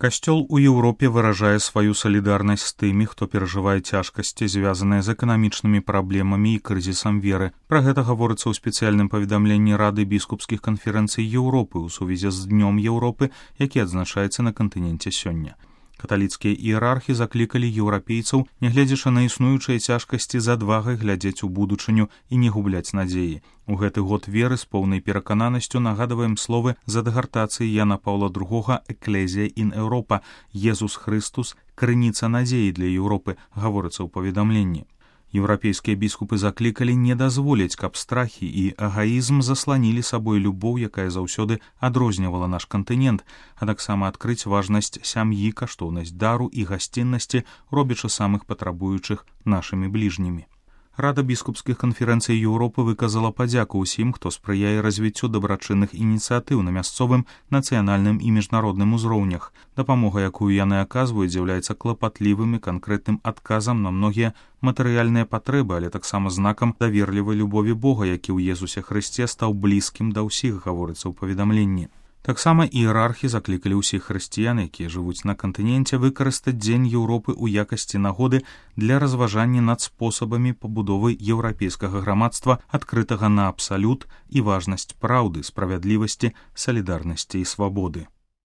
Касцёл у Еўропе выражае сваю салідарнасць з тымі, хто перажывае цяжкасці, звязаныя з эканамічнымі праблемамі і крызісам веры. Пра гэта гаворыцца ў спецыяльным паведамленні Рады біскупскіх канферэнцый Еўропы ў сувязі з Днём Еўропы, які адзначаецца на кантыненце сёння. Каталіцкія іерархі заклікалі еўрапейцаў, нягледзячы на існуючыя цяжкасці, з адвагай глядзець у будучыню і не губляць надзеі. У гэты год веры з поўнай перакананасцю нагадваем словы з адгартацыі Яна Паўла II «Экклезія ін Еўропа» «Езус Христус – крыніца надзеі для Еўропы», гаворыцца ў паведамленні. Еўрапейскія біскупы заклікалі не дазволіць, каб страхі і эгаізм засланілі сабой любоў, якая заўсёды адрознівала наш кантынент, а таксама адкрыць важнасць сям'і, каштоўнасць дару і гасціннасці, робячы самых патрабуючых нашымі бліжнімі. Рада біскупскіх канферэнцый Еўропы выказала падзяку ўсім, хто спрыяе развіццю дабрачынных ініцыятыў на мясцовым, нацыянальным і міжнародным узроўнях. Дапамога, якую яны аказваюць, з'яўляецца клапатлівым і канкрэтным адказам на многія матэрыяльныя патрэбы, але таксама знакам даверлівай любові Бога, які ў Езусе Хрысце стаў блізкім да ўсіх, гаворыцца ў паведамленні. Таксама іерархі заклікалі ўсіх хрысціян, якія жывуць на кантыненце, выкарыстаць Дзень Еўропы ў якасці нагоды для разважання над спосабамі пабудовы еўрапейскага грамадства, адкрытага на абсалют і важнасць праўды, справядлівасці, салідарнасці і свабоды.